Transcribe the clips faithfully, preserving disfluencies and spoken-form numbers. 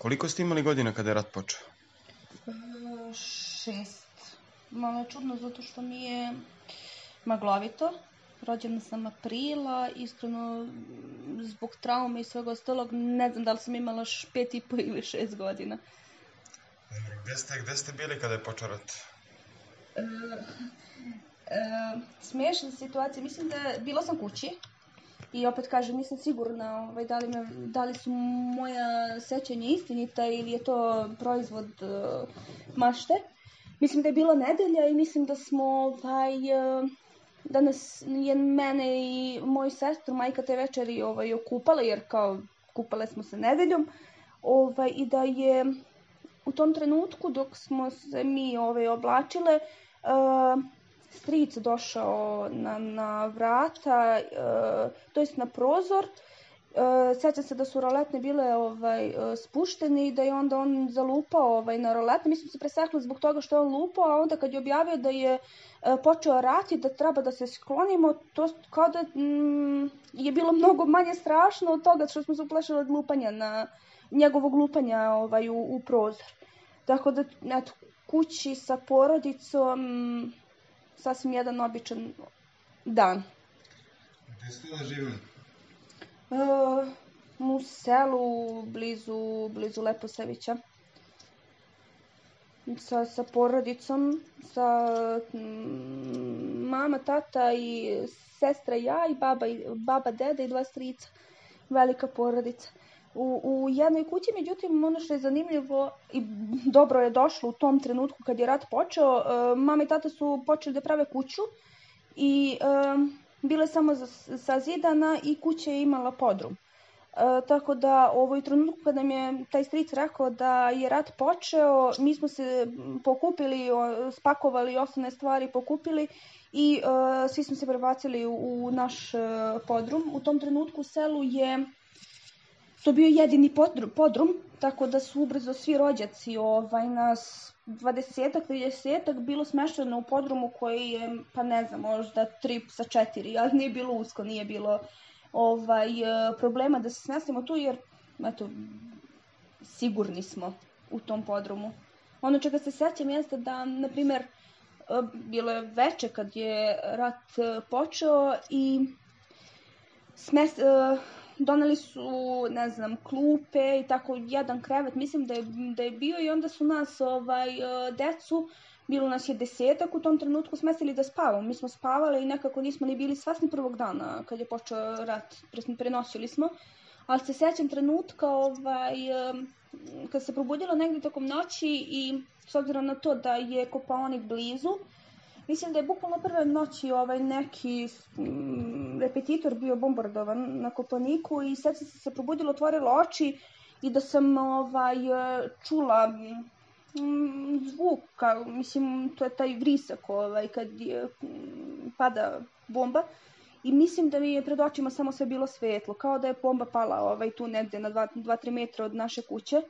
Koliko ste imali godina kada je rat počeo? Šest. Malo je čudno zato što mi je maglovito. Rođena sam aprila, iskreno zbog traume i svega ostalog ne znam da li sam imala pet i po ili šest godina. Gde ste, gde ste bili kada je počeo rat? E, e, smiješna situacija, mislim da bila sam kući i opet kažem nisam sigurna ovaj, da, li me, da li su moja sećanja istinita ili je to proizvod uh, mašte. Mislim da je bila nedelja i mislim da smo ovaj, uh, da nas je mene i moju sestru majka te večeri ovaj, okupala jer kao kupale smo se nedeljom ovaj, i da je u tom trenutku dok smo se mi ovaj, oblačile uh, stric došao na, na vrata, uh, to jest na prozor. Uh, Sjećam se da su roletne bile ovaj, uh, spuštene i da je onda on zalupao ovaj, na roletne. Mi smo se presekli zbog toga što je on lupao, a onda kad je objavio da je uh, počeo rat i da treba da se sklonimo, to kao da mm, je bilo mnogo manje strašno od toga što smo se uplašili od lupanja na njegovog lupanja ovaj, u, u prozor. Tako da, eto, kući sa porodicom, sasvim jedan običan dan. Gde ste da živjeli? Uh, u selu, blizu, blizu Leposavića. Sa, sa porodicom, sa mm, mama, tata i sestra i ja i baba, i baba, deda i dva strica. Velika porodica. U, u jednoj kući, međutim, ono što je zanimljivo i dobro je došlo u tom trenutku kad je rat počeo, uh, mama i tata su počeli da prave kuću i uh, bile samo sazidana i kuća je imala podrum. Uh, tako da u ovoj trenutku kada nam je taj stric rekao da je rat počeo, mi smo se pokupili, spakovali osnovne stvari, pokupili i uh, svi smo se prebacili u, u naš uh, podrum. U tom trenutku u selu je to bio jedini podrum, podrum, tako da su ubrzo svi rođaci, ovaj, nas dvadesetak, tridesetak bilo smešteno u podrumu koji je, pa ne znam, možda tri sa četiri, ali nije bilo usko, nije bilo ovaj, problema da se smestimo tu, jer, eto, sigurni smo u tom podrumu. Ono čega se sećam jeste da, na primjer, bilo je veče kad je rat počeo i smest... doneli su, ne znam, klupe i tako jedan krevet, mislim da je, da je bio i onda su nas, ovaj, decu, bilo nas je desetak u tom trenutku smestili da spavamo. Mi smo spavali i nekako nismo ni bili svesni prvog dana kad je počeo rat, prenosili smo, ali se sećam trenutka, ovaj, kad se probudilo negdje tokom noći i s obzirom na to da je Kopaonik blizu, mislim da je bukvalno prve noći ovaj neki mm, repetitor bio bombardovan na Kopaoniku i sad sam se probudila, otvorila oči i da sam ovaj, čula mm, zvuk, kao, mislim, to je taj vrisak ovaj, kad je, mm, pada bomba i mislim da mi je pred očima samo sve bilo svetlo, kao da je bomba pala ovaj, tu negde na dva do tri metra od naše kuće.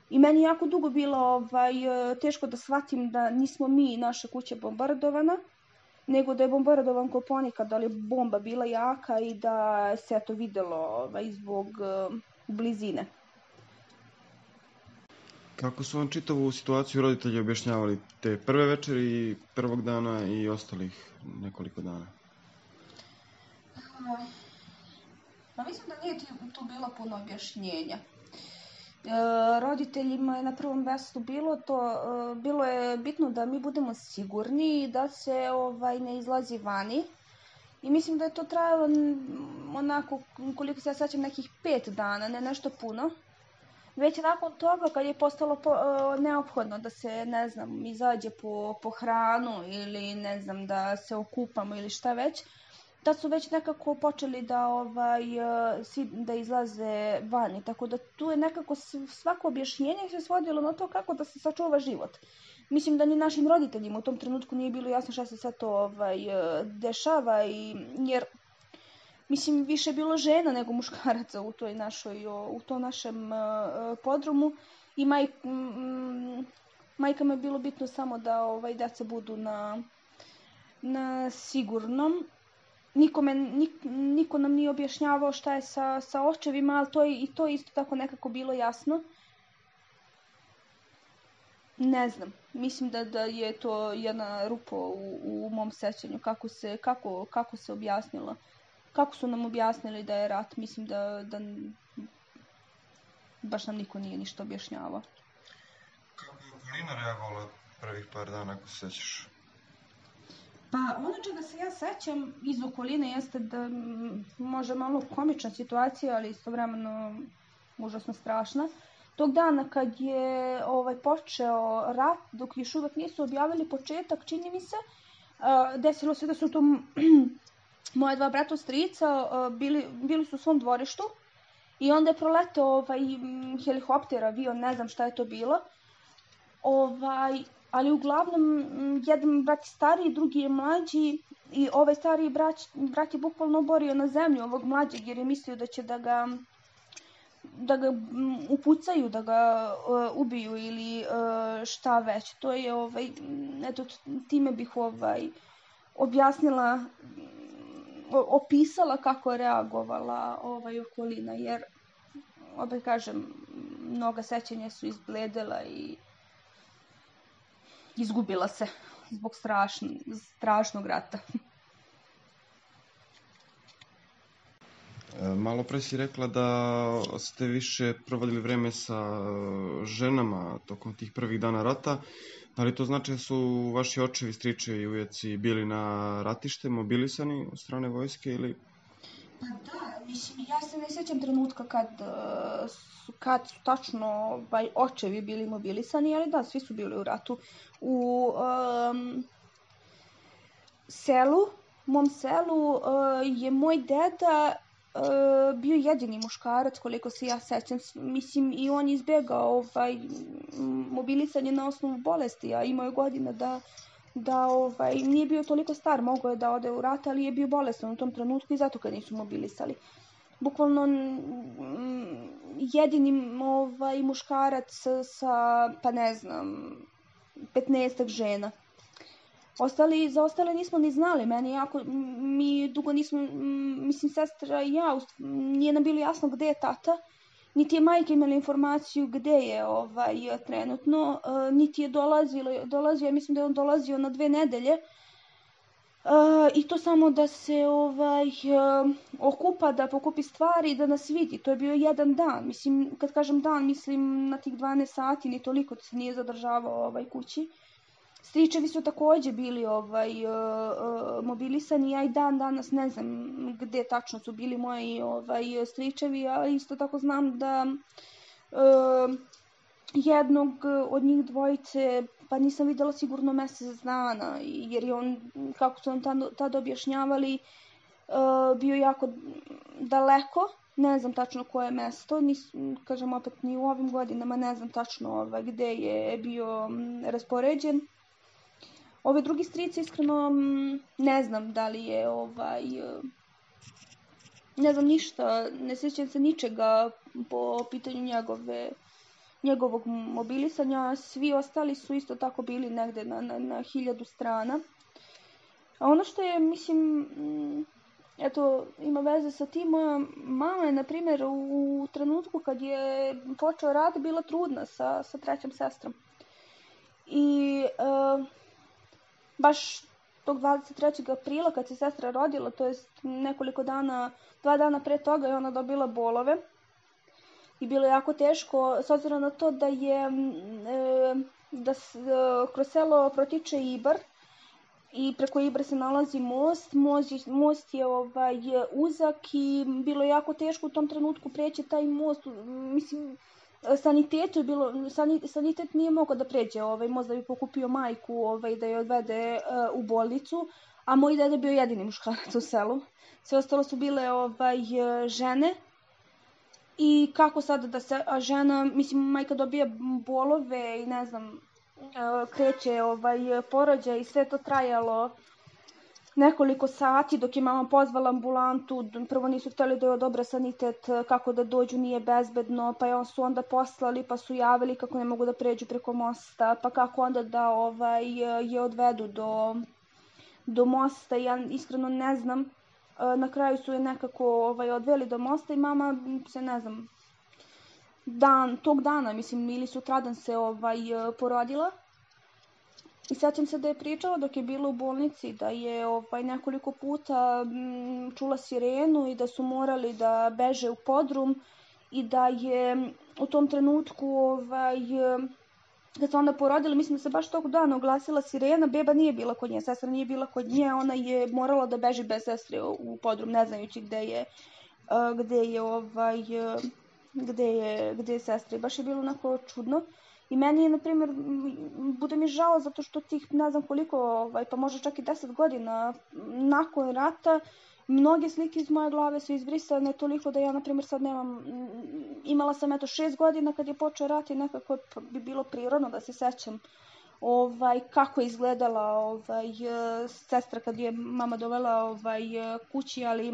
I meni je jako dugo bilo ovaj, teško da shvatim da nismo mi naša kuća bombardovana, nego da je bombardovan Kopaonik, da li je bomba bila jaka i da se to videlo ovaj, zbog uh, blizine. Kako su vam čitavu situaciju roditelji objašnjavali te prve večeri, prvog dana i ostalih nekoliko dana? Pa mislim da nije tu bilo puno objašnjenja. E, roditeljima je na prvom mjestu bilo to, e, bilo je bitno da mi budemo sigurni i da se ovaj, ne izlazi vani. I mislim da je to trajalo onako, koliko se ja sećam, nekih pet dana, ne nešto puno. Već nakon toga kad je postalo po, e, neophodno da se, ne znam, izađe po, po hranu ili ne znam, da se okupamo ili šta već, da su već nekako počeli da, ovaj, da izlaze vani. Tako da tu je nekako svako objašnjenje se svodilo na to kako da se sačuva život. Mislim da ni našim roditeljima u tom trenutku nije bilo jasno šta se sve to ovaj, dešava, i, jer mislim više je bilo žena nego muškaraca u toj našoj, u tom našem uh, podrumu i maj, um, majkama je bilo bitno samo da ovaj, deca budu na, na sigurnom. Nikome, nik, niko nam nije objašnjavao šta je sa, sa očevima, ali to je, i to je isto tako nekako bilo jasno. ne znam. Mislim da, da je to jedna rupa u, u mom sećanju. Kako se, kako, kako se objasnilo. Kako su nam objasnili da je rat. Mislim da, da baš nam niko nije ništa objašnjavao. Kako je okolina reagovala prvih par dana, ako se sećaš? Pa ono čega se ja sećam iz okoline jeste da može malo komična situacija, ali istovremeno užasno strašna. Tog dana kad je ovaj, počeo rat, dok još uvek nisu objavili početak, čini mi se, uh, desilo se da su to moje dva brata strica uh, bili, bili su u svom dvorištu i onda je proletao ovaj, helikopter, avion, ne znam šta je to bilo. Ovaj, ali uglavnom jedan brat je stariji, drugi je mlađi i ovaj stariji brat, brat je bukvalno oborio na zemlju ovog mlađeg jer je mislio da će da ga da ga upucaju, da ga uh, ubiju ili uh, šta već. To je ovaj eto time bih ovaj objasnila opisala kako je reagovala ovaj okolina jer opet kažem mnoga sećanja su izbledela i izgubila se zbog strašn, strašnog rata. Malo pre si rekla da ste više provodili vreme sa ženama tokom tih prvih dana rata. Da li to znači da su vaši očevi, stričevi i ujeci bili na ratište, mobilisani od strane vojske ili... Pa da, mislim, ja se ne sjećam trenutka kad, kad su tačno ovaj, očevi bili mobilisani, ali da, svi su bili u ratu. U um, selu, mom selu, uh, je moj deda uh, bio jedini muškarac, koliko se ja sećam. Mislim, i on izbjegao ovaj, mobilisanje na osnovu bolesti, a imao je godina da da ovaj, nije bio toliko star, mogao je da ode u rat, ali je bio bolestan u tom trenutku i zato ga nisu mobilisali. Bukvalno jedini ovaj, muškarac sa, pa ne znam, petnaestak žena. Ostali, za ostale nismo ni znali, meni jako, mi dugo nismo, mislim, sestra i ja, nije nam bilo jasno gde je tata, niti je majka imala informaciju gde je ovaj, trenutno, uh, niti je dolazilo, dolazio, ja mislim da je on dolazio na dve nedelje, uh, i to samo da se ovaj, uh, okupa, da pokupi stvari, da nas vidi. To je bio jedan dan, mislim, kad kažem dan, mislim na tih dvanaest sati, ni toliko se nije zadržavao ovaj, kući. Stričevi su takođe bili ovaj, uh, uh, mobilisani, ja i dan danas ne znam gde tačno su bili moji ovaj, stričevi, a isto tako znam da uh, jednog od njih dvojice pa nisam videla sigurno mesec dana, jer je on, kako su on tada, tada objašnjavali, uh, bio jako daleko, ne znam tačno koje mesto, nis, kažem opet ni u ovim godinama ne znam tačno ovaj, gde je bio raspoređen. Ove drugi strice, iskreno, ne znam da li je, ovaj, ne znam ništa, ne sjećam se ničega po pitanju njegove, njegovog mobilisanja. Svi ostali su isto tako bili negde na, na, na hiljadu strana. A ono što je, mislim, eto, ima veze sa tim, moja mama je, na primjer, u, u trenutku kad je počeo rat, bila trudna sa, sa trećom sestrom. I... Uh, baš tog dvadeset trećeg aprila kad se sestra rodila, to je nekoliko dana, dva dana pre toga je ona dobila bolove i bilo je jako teško s obzirom na to da je e, da s, e, kroz selo protiče Ibar i preko Ibra se nalazi most, most je, most je ovaj, uzak i bilo je jako teško u tom trenutku preći taj most, mislim, sanitetu je bilo, sanitet nije mogao da pređe ovaj, most da bi pokupio majku ovaj, da je odvede uh, u bolnicu, a moj deda bio jedini muškarac u selu. Sve ostalo su bile ovaj, žene i kako sada da se, a žena, mislim, majka dobija bolove i ne znam, uh, kreće ovaj, porođaj i sve to trajalo nekoliko sati dok je mama pozvala ambulantu, prvo nisu htjeli da je odobra sanitet, kako da dođu nije bezbedno, pa je su onda poslali pa su javili kako ne mogu da pređu preko mosta, pa kako onda da ovaj, je odvedu do, do mosta, ja iskreno ne znam, na kraju su je nekako ovaj, odveli do mosta i mama se ne znam, dan, tog dana, mislim, ili sutradan se ovaj, porodila. I sećam se da je pričala dok je bila u bolnici da je ovaj, nekoliko puta m, čula sirenu i da su morali da beže u podrum i da je u tom trenutku ovaj, kad se onda porodila, mislim da se baš tog dana oglasila sirena, beba nije bila kod nje, sestra nije bila kod nje, ona je morala da beži bez sestre u podrum, ne znajući gde je, gde je, ovaj, gde je, gde je sestra. I baš je bilo onako čudno. I meni je, na primjer, bude mi žao zato što tih ne znam koliko, ovaj, pa možda čak i deset godina nakon rata, mnoge slike iz moje glave su izbrisane toliko da ja, na primjer, sad nemam, imala sam eto šest godina kad je počeo rat i nekako bi bilo prirodno da se sećam ovaj, kako je izgledala ovaj, sestra kad je mama dovela ovaj, kući, ali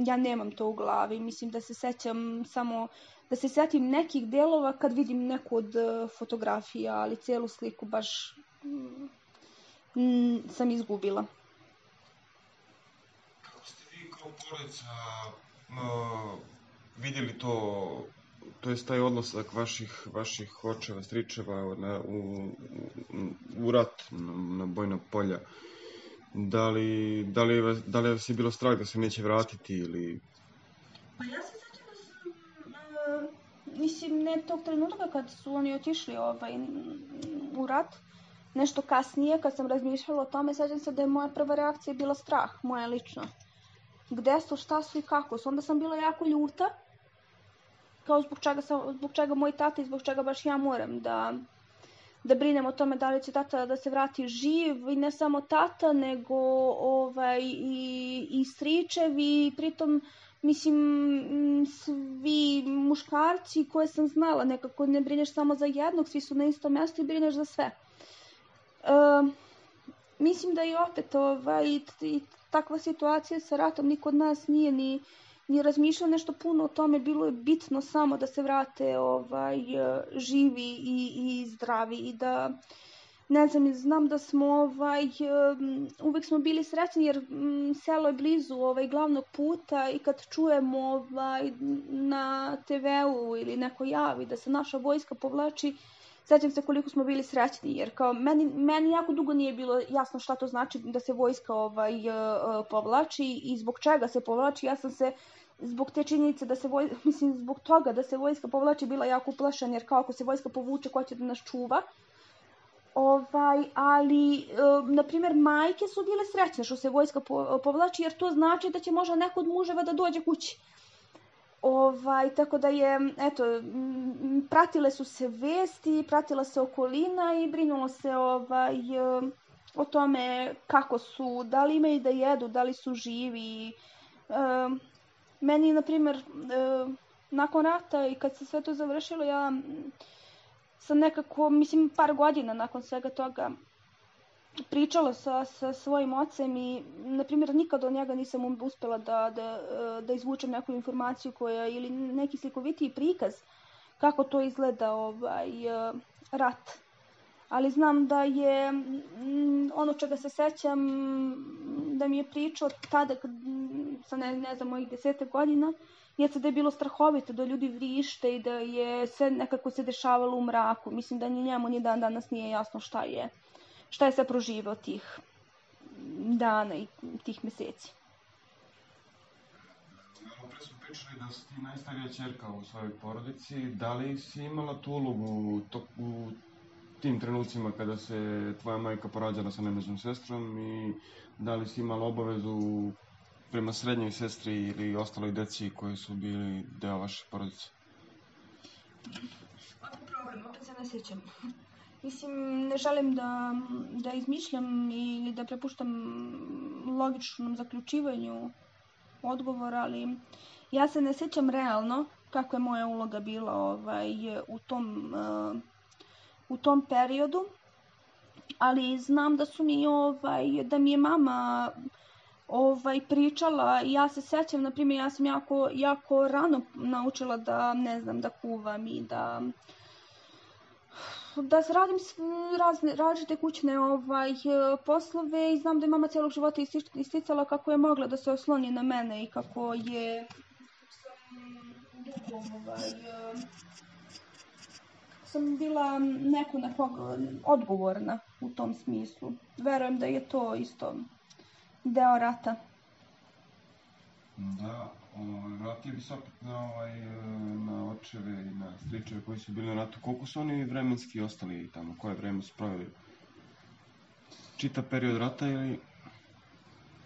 ja nemam to u glavi. Mislim da se sećam samo, da se setim nekih delova kad vidim neku od fotografija, ali celu sliku baš mm, sam izgubila. Kako ste vi kao porodica uh, vidjeli to, to je taj odnosak vaših, vaših očeva, stričeva na, u, u, u rat, na, na bojna polja? Da li, da, li, da li vas je bilo strah da se neće vratiti ili... Pa ja se sećam da sam, uh, mislim, ne tog trenutka kad su oni otišli ovaj, u rat, nešto kasnije, kad sam razmišljala o tome, sećam se da je moja prva reakcija bila strah, moja lična. Gde su, šta su i kako su. Onda sam bila jako ljuta, kao zbog čega, sam, zbog čega moj tata i zbog čega baš ja moram da, da brinem o tome da li će tata da se vrati živ, i ne samo tata, nego ovaj, i, i stričevi, pritom, mislim, svi muškarci koje sam znala, nekako ne brineš samo za jednog, svi su na istom mjestu i brineš za sve. Uh, mislim da i opet ovaj, i, i takva situacija sa ratom niko od nas nije ni, ni razmišljao nešto puno o tome, bilo je bitno samo da se vrate ovaj, živi i, i zdravi i da, ne znam, znam da smo ovaj, uvek smo bili srećni jer m, selo je blizu ovaj, glavnog puta i kad čujemo ovaj, na te veu ili neko javi da se naša vojska povlači, sećam se koliko smo bili srećni, jer kao meni, meni jako dugo nije bilo jasno šta to znači da se vojska ovaj, povlači i zbog čega se povlači. Ja sam se zbog te činjenice da se vojska, mislim zbog toga da se vojska povlači bila jako uplašena, jer kao ako se vojska povuče, ko će da nas čuva. Ovaj, ali, na primjer, majke su bile srećne što se vojska povlači, jer to znači da će možda neko od muževa da dođe kući. Ovaj, tako da je, eto, pratile su se vesti, pratila se okolina i brinulo se ovaj, o tome kako su, da li imaju da jedu, da li su živi. E, meni, na primjer, e, nakon rata i kad se sve to završilo, ja sam nekako, mislim, par godina nakon svega toga pričala sa, sa svojim ocem i, na primjer, nikad od njega nisam uspjela da, da, da izvučem neku informaciju koja, ili neki slikovitiji prikaz kako to izgleda ovaj, rat. Ali znam da je ono čega se sećam, da mi je pričao tada, kad, sa ne, ne znam, mojih desete godina, jeste da je bilo strahovito, da ljudi vrište i da je sve nekako se dešavalo u mraku. Mislim da ni njemu ni dan danas nije jasno šta je. Šta je sve proživao tih dana i tih meseci. Malo pre smo pričali da si ti najstarija ćerka u svojoj porodici. Da li si imala tu ulogu u tim trenucima kada se tvoja majka porađala sa nemežnom sestrom i da li si imala obavezu prema srednjoj sestri ili ostaloj deci koji su bili deo vaše porodice? Opet problem, opet se ne sjećam. Mislim, ne želim da, da izmišljam ili da prepuštam logičnom zaključivanju odgovora, ali ja se ne sjećam realno kako je moja uloga bila ovaj, u, tom, uh, u tom periodu, ali znam da su mi, ovaj, da mi je mama ovaj, pričala i ja se sećam, na primjer, ja sam jako, jako rano naučila da, ne znam, da kuvam i da da radim razne, različite kućne ovaj, poslove i znam da je mama cijelog života isticala kako je mogla da se osloni na mene i kako je sam dugo ovaj, sam bila neko nekog odgovorna u tom smislu. Verujem da je to isto deo rata. Da, ovaj, vratili bi se opet na, ovaj, na očeve i na stričeve koji su bili na ratu. Koliko su oni vremenski ostali tamo? Koje vreme su proveli? Čitav period rata ili...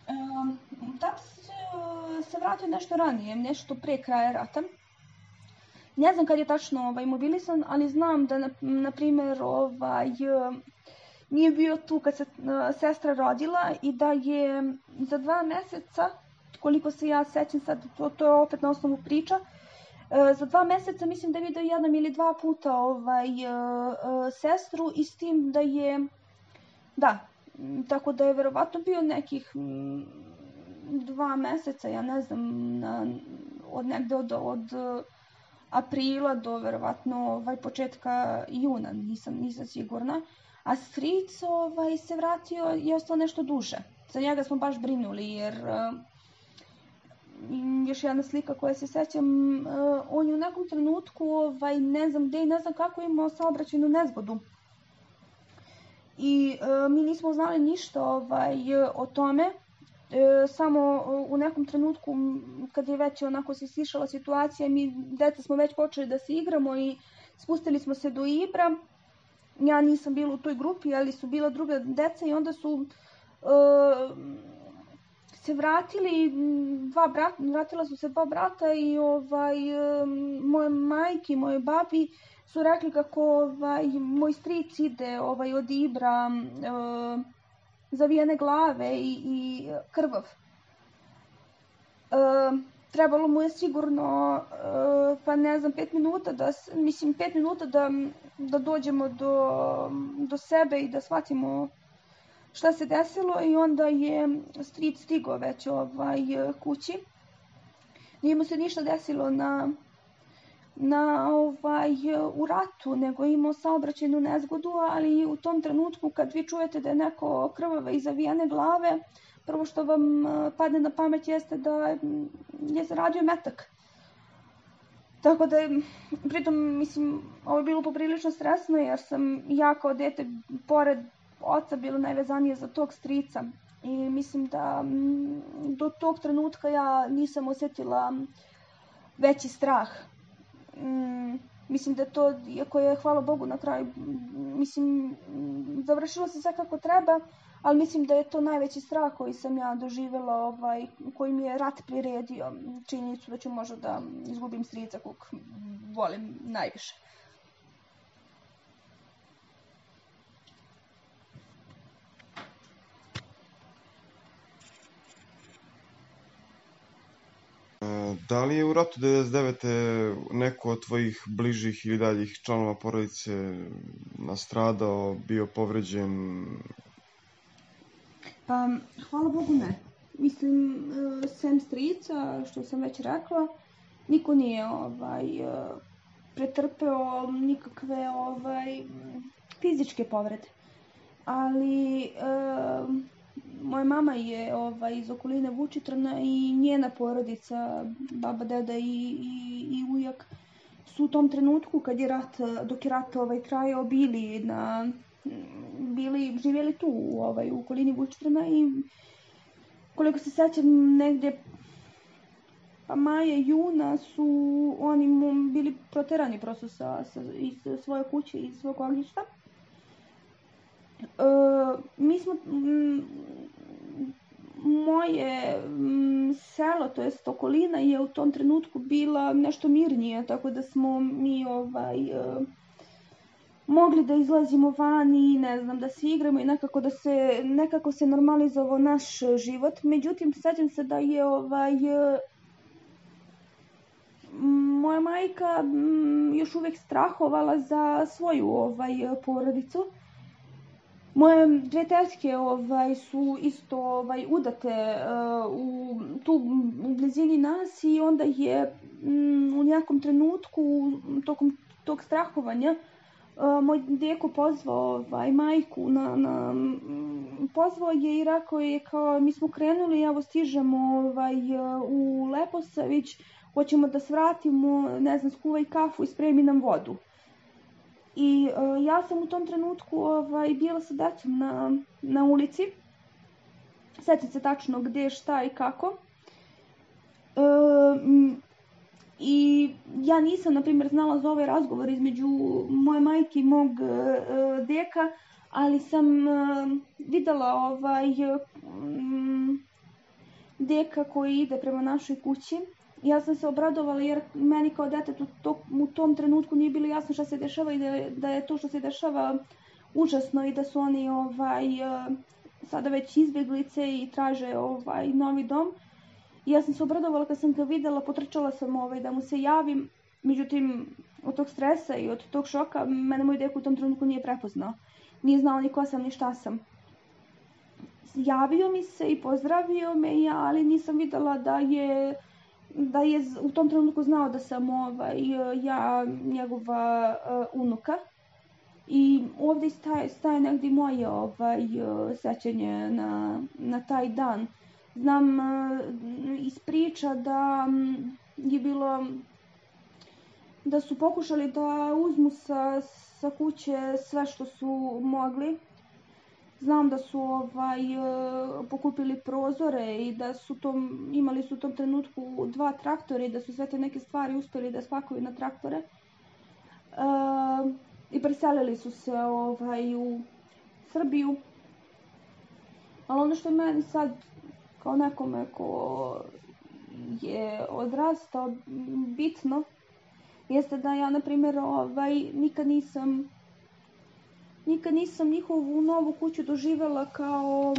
Um, tata se, se vratio nešto ranije, nešto pre kraja rata. Ne znam kad je tačno ovaj, mobilisan, ali znam da, na, na primjer, ovaj, nije bio tu kad se uh, sestra rodila i da je za dva meseca, koliko se ja sećam sad, to, to je opet na osnovu priča, uh, za dva meseca mislim da je vidio jednom ili dva puta ovaj, uh, uh, sestru i s tim da je, da, tako da je verovatno bio nekih m, dva meseca, ja ne znam, na, od negde od, od aprila do verovatno ovaj, početka juna, nisam, nisam sigurna. A stric ovaj, se vratio i ostao nešto duže. Za njega smo baš brinuli jer uh, još jedna slika koja se sećam, uh, on je u nekom trenutku, ovaj, ne znam gde i ne znam kako, imao saobraćajnu nezgodu. I uh, mi nismo znali ništa ovaj, o tome. E, samo u nekom trenutku kad je već onako se stišala situacija, mi deca smo već počeli da se igramo i spustili smo se do Ibra. Ja nisam bila u toj grupi, ali su bila druga deca i onda su e, se vratili dva brata, vratila su se dva brata i ovaj, moje majke i moje babi su rekli kako ovaj, moj stric ide ovaj, od Ibra e, zavijene glave i, i krvav. E, trebalo mu je sigurno, e, pa ne znam, pet minuta da, mislim, pet minuta da, da dođemo do, do sebe i da shvatimo šta se desilo i onda je stric stigao već ovaj, kući. Nije mu se ništa desilo na, na, ovaj, u ratu, nego je imao saobraćajnu nezgodu, ali u tom trenutku kad vi čujete da je neko krvave i zavijene glave, prvo što vam padne na pamet jeste da je zaradio metak. Tako da je, pritom, mislim, ovo je bilo poprilično stresno jer sam ja kao dete, pored oca, bila najvezanija za tog strica. I mislim da do tog trenutka ja nisam osjetila veći strah. Mm, mislim da to, iako je, hvala Bogu, na kraju, mislim, završilo se sve kako treba, ali mislim da je to najveći strah koji sam ja doživjela, ovaj, koji mi je rat priredio, činjenicu da ću možda da izgubim strica kog volim najviše. Da li je u ratu devedeset devete neko od tvojih bližih ili daljih članova porodice nastradao, bio povređen? Pa, hvala Bogu ne. Mislim, sem strica, što sam već rekla, niko nije ovaj, pretrpeo nikakve ovaj, fizičke povrede. Ali moja mama je ovaj, iz okoline Vučitrna i njena porodica, baba, deda i, i, i ujak, su u tom trenutku kad je rat, dok je rat ovaj, trajao, bili na, bili, živjeli tu ovaj, u okolini Vučitrna i koliko se sećam negdje pa maja, juna su oni bili proterani prosto sa, sa, iz svoje kuće, iz svog ognjišta. Uh, mi smo, m, moje m, selo, to jest okolina, je u tom trenutku bila nešto mirnije, tako da smo mi ovaj, uh, mogli da izlazimo van i ne znam, da se igramo i nekako da se, nekako se normalizovao naš život. Međutim, sećam se da je ovaj, uh, moja majka m, još uvijek strahovala za svoju ovaj, porodicu. Moje dve tetke ovaj, su isto ovaj, udate uh, u, tu u blizini nas i onda je mm, u nekom trenutku tokom tog strahovanja uh, moj deko pozvao ovaj, majku, na, na, m, pozvao je i rekao je kao mi smo krenuli, evo stižemo ovaj, u Leposavić, hoćemo da svratimo, ne znam, skuvaj kafu i spremi nam vodu. I uh, ja sam u tom trenutku ovaj, bila sa decom na, na ulici. Sjećam se tačno gdje, šta i kako. Uh, I ja nisam, na primjer, znala za ovaj razgovor između moje majke i mog uh, deka, ali sam uh, videla ovaj, um, deka koji ide prema našoj kući. Ja sam se obradovala jer meni kao detetu to, u tom trenutku nije bilo jasno šta se dešava i da je, da je to što se dešava užasno i da su oni ovaj, sada već izbjeglice i traže ovaj, novi dom. I ja sam se obradovala kad sam ga videla, potrčala sam ovaj, da mu se javim, međutim od tog stresa i od tog šoka mene moj dek u tom trenutku nije prepoznao. Nije znao ni ko sam ni šta sam. Javio mi se i pozdravio me, ali nisam videla da je da je u tom trenutku znao da sam ovaj, ja njegova uh, unuka. I ovdje staje, staje negdje moje ovaj, sećanje na, na taj dan. Znam uh, iz priča da um, je bilo da su pokušali da uzmu sa, sa kuće sve što su mogli. Znam da su ovaj, pokupili prozore i da su tom, imali su u tom trenutku dva traktora i da su sve te neke stvari uspjeli da spakuju na traktore. E, I preselili su se ovaj, u Srbiju. Ali ono što je meni sad, kao nekome ko je odrastao, bitno, jeste da ja, na primjer, ovaj, nikad nisam Nikad nisam njihovu novu kuću doživjela kao,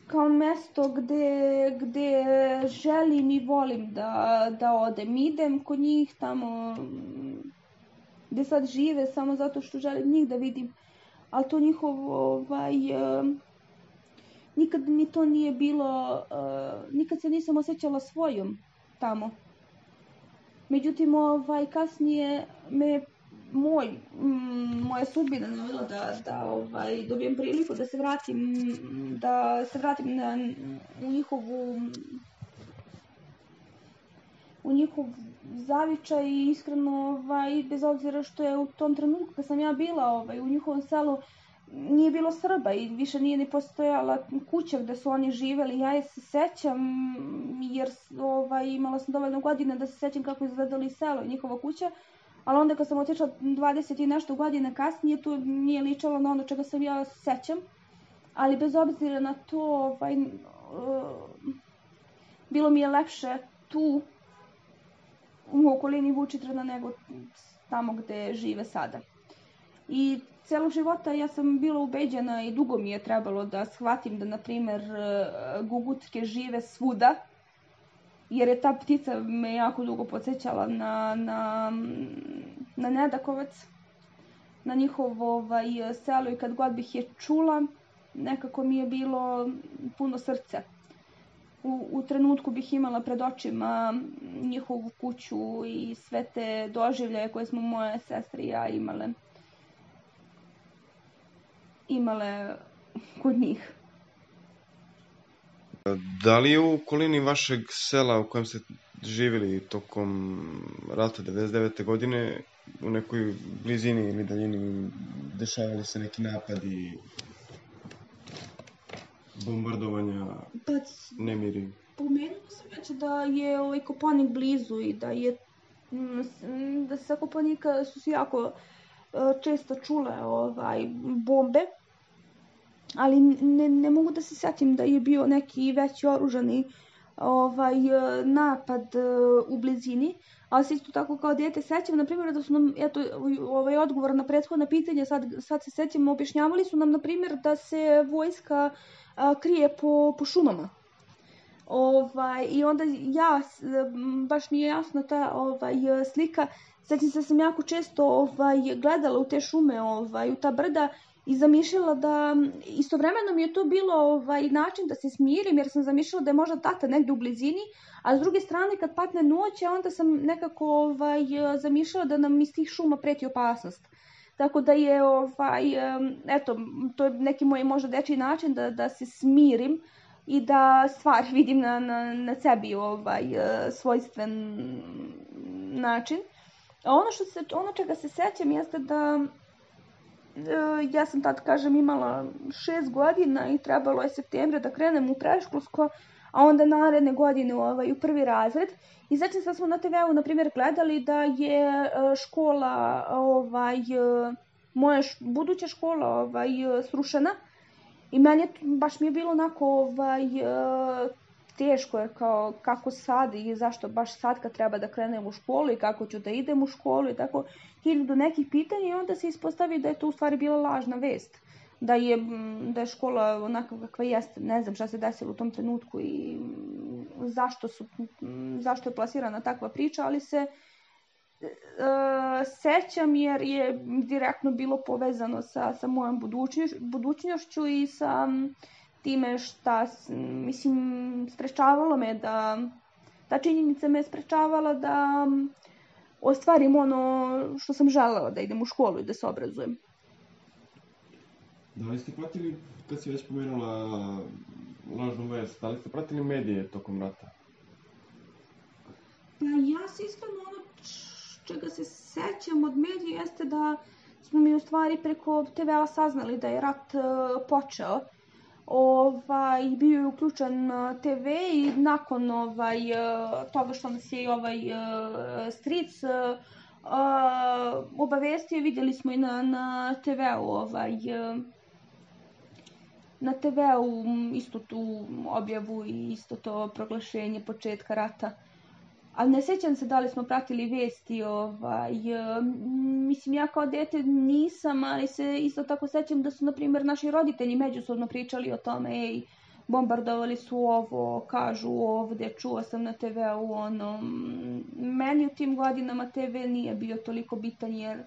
kao mjesto gdje, gdje želim i volim da, da odem. Idem kod njih tamo gdje sad žive samo zato što želim njih da vidim. Ali to njihovo, ovaj, nikad mi to nije bilo, nikad se nisam osjećala svojom tamo. Međutim, ovaj, kasnije me Moj, m, moja sudbina navela da, da ovaj, dobijem priliku da se vratim, da se vratim na, u njihovu u njihov zavičaj i iskreno, ovaj, bez obzira što je u tom trenutku kad sam ja bila ovaj, u njihovom selu nije bilo Srba i više nije ni postojala kuća gdje su oni živjeli. Ja je se sećam jer ovaj, imala sam dovoljno godina da se sećam kako izgledali selo i njihova kuća. Ali onda kad sam otišla dvadeset i nešto godina kasnije, to nije ličalo na ono čega sam ja sećam. Ali bez obzira na to, ovaj, uh, bilo mi je lepše tu u okolini Vučitrna nego tamo gde žive sada. I celog života ja sam bila ubeđena i dugo mi je trebalo da shvatim da, na primjer, gugutke žive svuda. Jer je ta ptica me jako dugo podsjećala na, na, na Nedakovac, na njihovo ovaj, selo i kad god bih je čula, nekako mi je bilo puno srce. U, u trenutku bih imala pred očima njihovu kuću i sve te doživljaje koje smo moje sestre i ja imale, imale kod njih. Da li je u okolini vašeg sela u kojem ste živjeli tokom rata devedeset devete godine u nekoj blizini ili daljini dešavali se neki napadi, bombardovanja, pa, nemiri? Pomenula sam već da je ovaj Kopaonik blizu i da je da se sa Kopaonika su se jako često čule ovaj, bombe. Ali ne, ne mogu da se sjetim da je bio neki veći oružani ovaj, napad u blizini. Ali se isto tako kao dijete sećam, na primjer, da su nam, eto, ovaj odgovor na prethodna pitanja, sad, sad se sećam, objašnjavali su nam, na primjer, da se vojska a, krije po, po šumama. Ovaj, I onda ja, baš mi je jasna ta ovaj, slika, sećam se da sam jako često ovaj, gledala u te šume, ovaj, u ta brda, i zamišljala da, istovremeno mi je to bilo ovaj, način da se smirim, jer sam zamišljala da je možda tata negdje u blizini, a s druge strane kad patne noć, onda sam nekako ovaj, zamišljala da nam iz tih šuma preti opasnost. Tako da je, ovaj, eto, to je neki moj možda dečiji način da, da se smirim i da stvari vidim na, na, na sebi ovaj, svojstven način. ono, što se, ono čega se sećam jeste da ja sam tad, kažem, imala šest godina i trebalo je septembra da krenem u predškolsko, a onda naredne godine ovaj, u prvi razred. I sećam se da smo na te veu, na primjer, gledali da je škola, ovaj, moja buduća škola ovaj, srušena. I meni baš mi je bilo onako ovaj, teško, jer kao kako sad i zašto baš sad kad treba da krenem u školu i kako ću da idem u školu i tako hiljadu nekih pitanja i onda se ispostavi da je to u stvari bila lažna vest. Da je, da je škola onaka kakva jeste, ne znam šta se desilo u tom trenutku i zašto, su, zašto je plasirana takva priča, ali se e, sećam jer je direktno bilo povezano sa, sa mojom budućnoš, budućnošću i sa time šta, mislim, sprečavalo me da, ta činjenica me sprečavala da ostvarim ono što sam želela, da idem u školu i da se obrazujem. Da li ste pratili, kad si već pomenula lažnu vest, da li ste pratili medije tokom rata? Pa ja se iskreno ono čega se sećam od medija jeste da smo mi u stvari preko te vea saznali da je rat uh, počeo. Ovaj, bio je uključen te ve i nakon ovaj, toga što nas je ovaj uh, stric uh, obavestio, vidjeli smo i na, na te veu ovaj, uh, na te veu isto tu objavu i isto to proglašenje početka rata. Ali ne sećam se da li smo pratili vesti, ovaj, mislim ja kao dete nisam, ali se isto tako sećam da su, na primjer, naši roditelji međusobno pričali o tome, ej, bombardovali su ovo, kažu ovdje, čuo sam na te veu, ono, meni u tim godinama te ve nije bio toliko bitan jer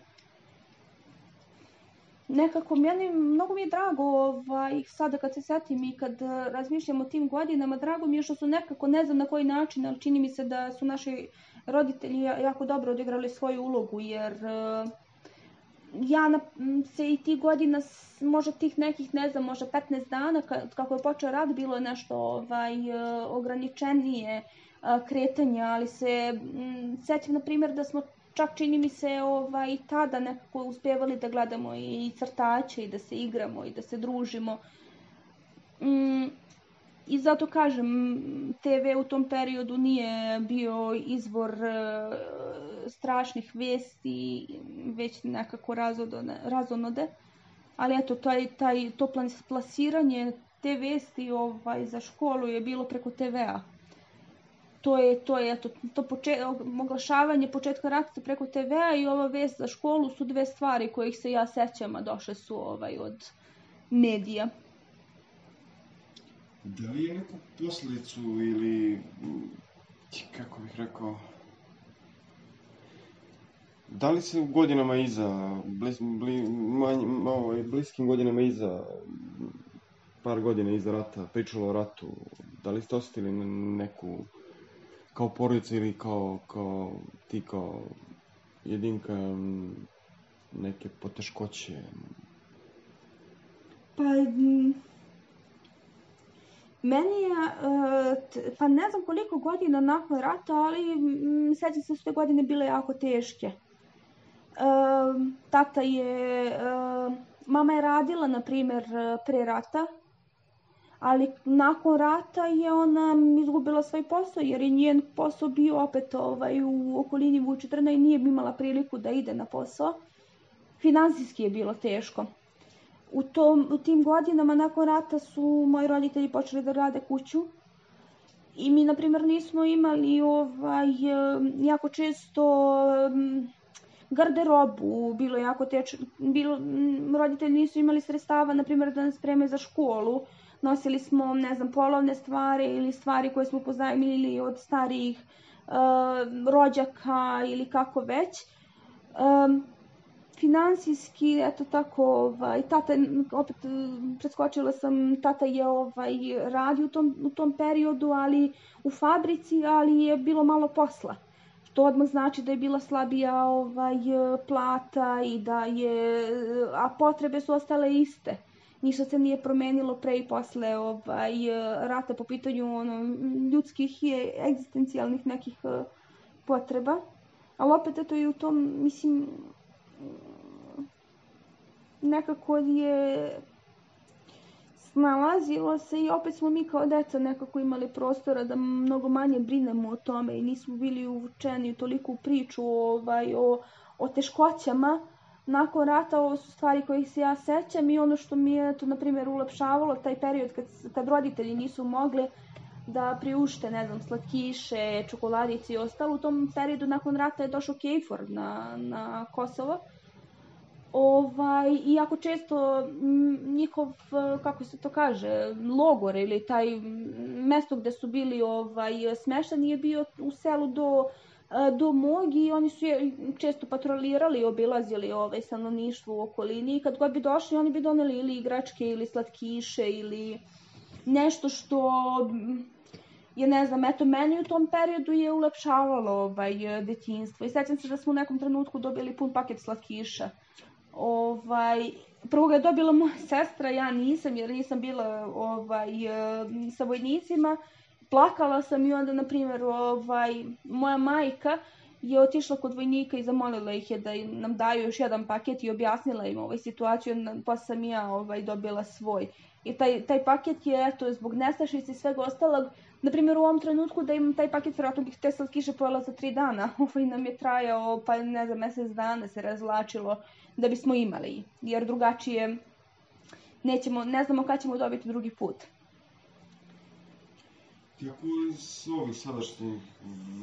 nekako meni, mnogo mi je drago ovaj, sada kad se setim i kad razmišljam o tim godinama, drago mi je što su nekako, ne znam na koji način, ali čini mi se da su naši roditelji jako dobro odigrali svoju ulogu, jer uh, ja na, se i tih godina, možda tih nekih, ne znam, možda petnaest dana, kako je počeo rat, bilo je nešto ovaj, ograničenije uh, kretanja, ali se um, sećam, na primjer, da smo čak čini mi se ovaj, tada nekako uspjevali da gledamo i crtače i da se igramo i da se družimo. Mm, I zato kažem, te ve u tom periodu nije bio izvor uh, strašnih vesti, već nekako razonode. Ali eto, taj, taj, to plasiranje te vesti ovaj, za školu je bilo preko te vea. To je, to je, eto, to poče, oglašavanje početka rata preko te vea i ova vest za školu su dve stvari kojih se ja sećam, a došle su ovaj, od medija. Da li je neku posljedicu ili, kako bih rekao, da li se u godinama iza, blis, bli, manj, malo, bliskim godinama iza, par godina iza rata, pričalo o ratu, da li ste osjetili neku, kao porodica ili kao, kao ti kao jedinka, neke poteškoće? Pa, meni je, pa ne znam koliko godina nakon rata, ali sećam se da su te godine bile jako teške. Tata je, mama je radila, na primjer, pre rata, ali nakon rata je ona izgubila svoj posao, jer je njen posao bio opet ovaj, u okolini Vučitrna i nije imala priliku da ide na posao. Finansijski je bilo teško. U, tom, u tim godinama nakon rata su moji roditelji počeli da rade kuću i mi, na primjer, nismo imali ovaj, jako često garderobu, bilo jako teško, bilo, roditelji nisu imali sredstava, na primjer, da nas spreme za školu. Nosili smo, ne znam, polovne stvari ili stvari koje smo pozajmili od starijih uh, rođaka ili kako već. Um, finansijski, eto tako, ovaj, tata, opet preskočila sam, tata je ovaj, radio u tom, u tom periodu, ali u fabrici, ali je bilo malo posla. To odmah znači da je bila slabija ovaj, plata i da je, a potrebe su ostale iste. Ništa se nije promenilo pre i posle ovaj, rata po pitanju ono, ljudskih i egzistencijalnih nekih potreba. ali opet eto i u tom, mislim, nekako je snalazilo se i opet smo mi kao deca nekako imali prostora da mnogo manje brinemo o tome i nismo bili uvučeni u toliku priču ovaj, o, o teškoćama. Nakon rata ovo su stvari kojih se ja sećam i ono što mi je to, na primjer, ulepšavalo taj period kad, kad roditelji nisu mogli da priušte, ne znam, slatkiše, čokoladice i ostalo. U tom periodu nakon rata je došao KFOR na, na Kosovo. Ovaj, iako često njihov, kako se to kaže, logor ili taj mesto gde su bili ovaj, smeštani je bio u selu do, do mog i oni su je često patrolirali i obilazili ovaj, stanovništvo u okolini i kad god bi došli oni bi doneli ili igračke ili slatkiše ili nešto što je, ne znam, eto meni u tom periodu je ulepšavalo ovaj, detinjstvo i sećam se da smo u nekom trenutku dobili pun paket slatkiša. Ovaj, prvo ga je dobila moja sestra, ja nisam jer nisam bila ovaj, sa vojnicima. Plakala sam i onda, na primjer, ovaj, moja majka je otišla kod vojnika i zamolila ih je da nam daju još jedan paket i objasnila im ovaj, situaciju, pa sam ja ovaj, dobila svoj. I taj, taj paket je, eto, zbog nestašice i svega ostalog, na primjer u ovom trenutku da imam taj paket, vjerojatno bih te slatkiše pojela za tri dana, ovaj nam je trajao, pa ne znam, mesec dana se razvlačilo da bismo imali, jer drugačije nećemo, ne znamo kad ćemo dobiti drugi put. Ti ako iz ovih sadašnjih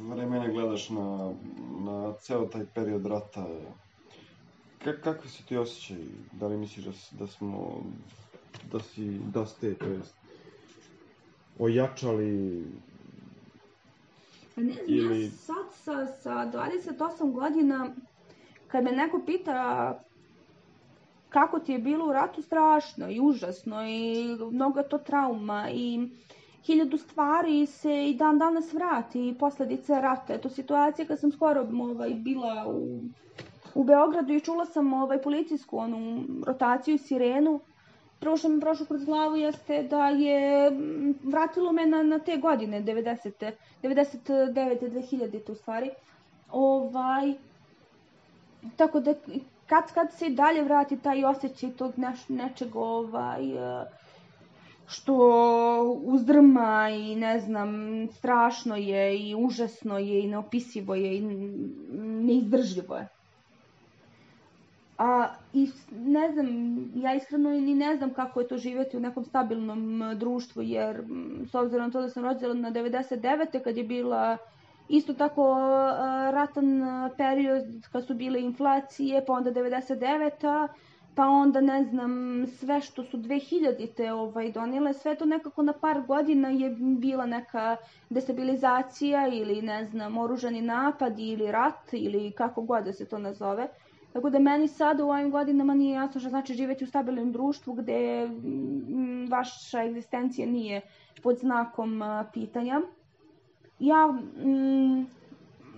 vremena gledaš na, na ceo taj period rata, kak, kakvi su ti osjećaj? Da li misliš da, da smo, da si, da ste, to jest, ojačali? Pa ne znam, ili... ja sad sa, sa dvadeset osam godina, kad me neko pita kako ti je bilo u ratu, strašno i užasno i mnogo to trauma i hiljadu stvari se i dan danas vrati i posledice rata. Eto situacija kad sam skoro ovaj, bila u, u Beogradu i čula sam ovaj, policijsku onu rotaciju, sirenu. Prvo što mi prošlo kroz glavu jeste da je vratilo me na, na te godine, devedesete, devedeset devete, dve hiljadite u stvari. Ovaj, tako da kad, kad se i dalje vrati taj osjećaj tog neš, nečeg ovaj, što uzdrma i ne znam, strašno je i užasno je i neopisivo je i neizdržljivo je. A i ne znam, ja iskreno ni ne znam kako je to živjeti u nekom stabilnom društvu, jer s obzirom na to da sam rođena na devedeset devete kad je bila isto tako ratan period, kad su bile inflacije, pa onda devedeset deveta, pa onda ne znam, sve što su dve hiljadite ovaj, donile, sve to nekako na par godina je bila neka destabilizacija ili ne znam, oružani napad ili rat ili kako god da se to nazove. Tako da meni sada u ovim godinama nije jasno što znači živjeti u stabilnom društvu gde vaša egzistencija nije pod znakom pitanja. Ja mm,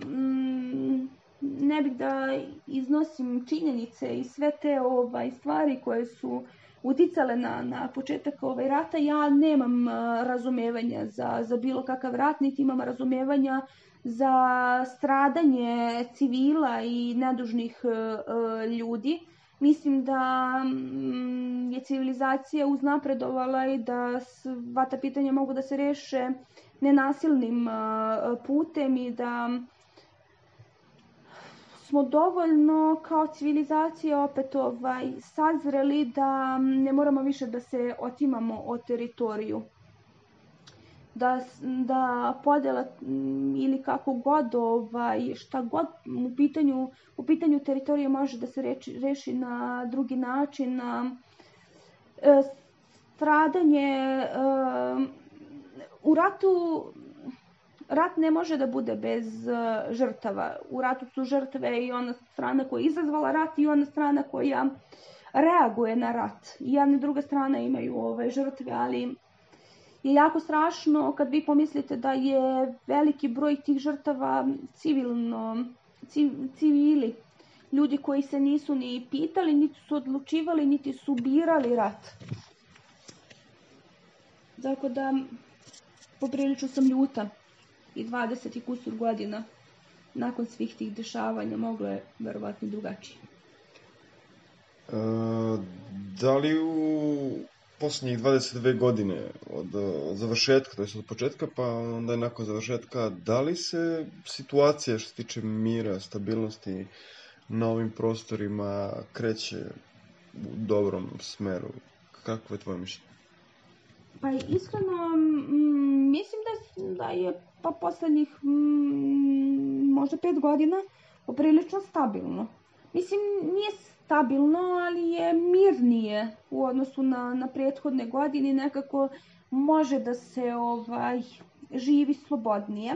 mm, ne bih da iznosim činjenice i sve te ovaj, stvari koje su uticale na, na početak ovaj, rata. Ja nemam razumevanja za, za bilo kakav rat, niti imam razumevanja za stradanje civila i nedužnih uh, ljudi. Mislim da um, je civilizacija uznapredovala i da sva ta pitanja mogu da se reše nenasilnim uh, putem i da smo dovoljno kao civilizacija opet ovaj, sazreli da ne moramo više da se otimamo o teritoriju. Da, da podela ili kako god, ovaj, šta god u pitanju, u pitanju teritorije može da se reči, reši na drugi način. Na, e, stradanje e, u ratu, rat ne može da bude bez e, žrtava. U ratu su žrtve i ona strana koja je izazvala rat i ona strana koja reaguje na rat. I jedna i druga strana imaju ove žrtve, ali je jako strašno kad vi pomislite da je veliki broj tih žrtava civilno, civ, civili, ljudi koji se nisu ni pitali, niti su odlučivali, niti su birali rat. Tako da poprilično sam ljuta i dvadeset i kusur godina nakon svih tih dešavanja moglo je verovatno drugačije. E, da li u posljednjih dvadeset dve godine od, od završetka, to je od početka, pa onda je nakon završetka, da li se situacija što se tiče mira, stabilnosti na ovim prostorima kreće u dobrom smeru? Kako je tvoje mišljenje? Pa iskreno, m, mislim da, da je pa poslednjih m, možda pet godina poprilično stabilno. Mislim, nije stabilno, ali je mirnije u odnosu na, na prethodne godine. Nekako može da se ovaj, živi slobodnije.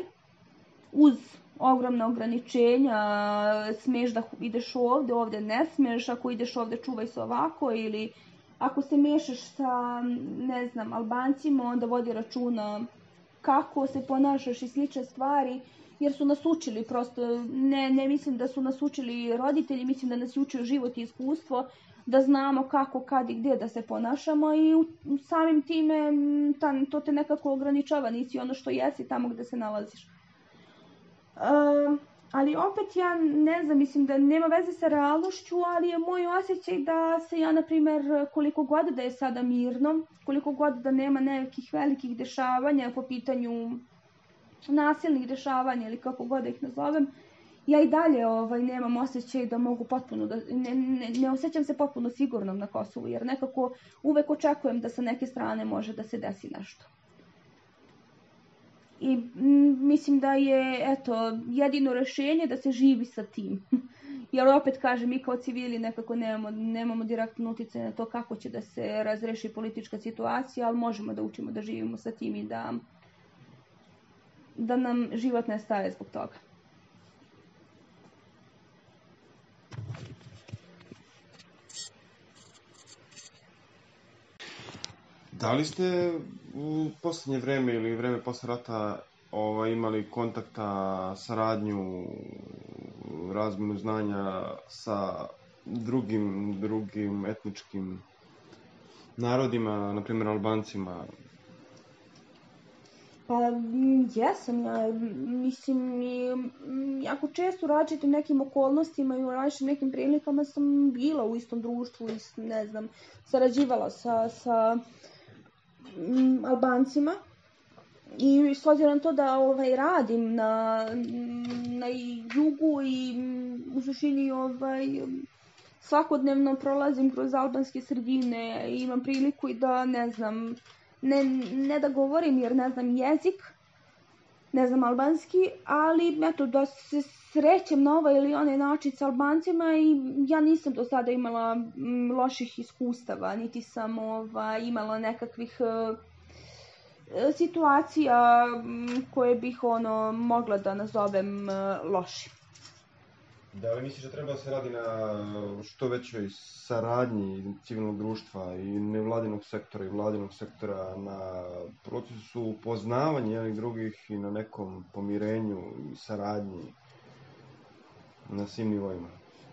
Uz ogromna ograničenja, smeš da ideš ovde, ovde ne smeš, ako ideš ovde čuvaj se ovako, ili ako se mešaš sa, ne znam, Albancima, onda vodi računa kako se ponašaš i slične stvari, jer su nas učili prosto, ne, ne mislim da su nas učili roditelji, mislim da nas učio život i iskustvo, da znamo kako, kad i gdje da se ponašamo i u, samim time ta, to te nekako ograničava, nisi ono što jesi tamo gde se nalaziš. Um, ali opet ja ne znam, mislim da nema veze sa realnošću, ali je moj osjećaj da se ja, na primjer, koliko god da je sada mirno, koliko god da nema nekih velikih dešavanja po pitanju nasilnih dešavanja ili kako god da ih nazovem, ja i dalje ovaj, nemam osjećaj da mogu potpuno, da, ne, ne, ne osjećam se potpuno sigurnom na Kosovu, jer nekako uvek očekujem da sa neke strane može da se desi nešto. I m, mislim da je, eto, jedino rešenje da se živi sa tim. Jer opet kažem, mi kao civili nekako nemamo, nemamo direktno uticaja na to kako će da se razreši politička situacija, ali možemo da učimo da živimo sa tim i da, da nam život ne staje zbog toga. Da li ste u posljednje vreme ili vreme posle rata ovaj, imali kontakta, saradnju, razmenu znanja sa drugim, drugim etničkim narodima, na primjer Albancima? Pa jesam, ja mislim i jako često u različitim nekim okolnostima i u različitim nekim prilikama sam bila u istom društvu i ne znam, sarađivala sa, sa m, Albancima i s obzirom to da ovaj, radim na, na jugu i u suštini ovaj, svakodnevno prolazim kroz albanske sredine i imam priliku i da ne znam, Ne, ne da govorim jer ne znam jezik, ne znam albanski, ali eto da se srećem na ovaj ili onaj način s Albancima i ja nisam do sada imala m, loših iskustava, niti sam ova, imala nekakvih uh, situacija m, koje bih ono mogla da nazovem uh, lošim. Da li misliš da treba da se radi na što većoj saradnji civilnog društva i nevladinog sektora i vladinog sektora na procesu upoznavanja jednih drugih i na nekom pomirenju i saradnji na svim nivoima?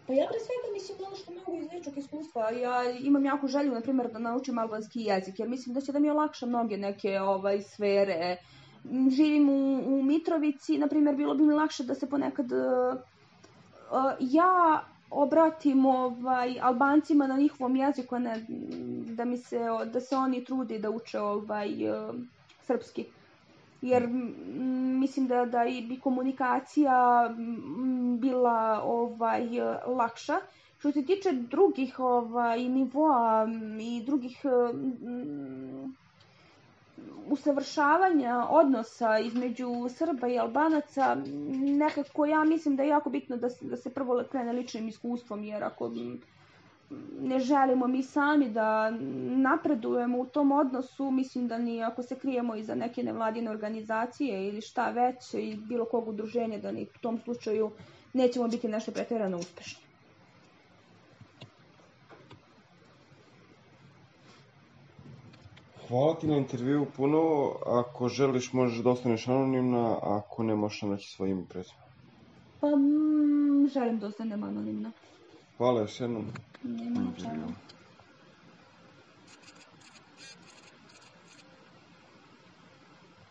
Pa ja pre svega mislim ono što mogu iz ličnog iskustva. Ja imam jako želju, na primjer, da naučim albanski jezik, jer mislim da će da mi olakša mnoge neke ovaj, sfere. Živim u, u Mitrovici, na primjer, bilo bi mi lakše da se ponekad Uh, ja obratim ovaj, Albancima na njihovom jeziku, ne, da, mi se, da se oni trude da uče ovaj, uh, srpski. Jer m, mislim da, da bi komunikacija m, bila ovaj, lakša. Što se tiče drugih ovaj, nivoa i drugih m, usavršavanja odnosa između Srba i Albanaca, nekako ja mislim da je jako bitno da se, da se prvo krene ličnim iskustvom, jer ako ne želimo mi sami da napredujemo u tom odnosu, mislim da ni ako se krijemo iza neke nevladine organizacije ili šta već, i bilo kog udruženja, da ni u tom slučaju nećemo biti nešto pretjerano uspešni. Hvala ti na intervju puno. Ako želiš, možeš da ostaneš anonimna, a ako ne, možeš naći svoj ime i prezime. Pa mm, želim da ostanem anonimna. Hvala još jednom. Nema na čemu.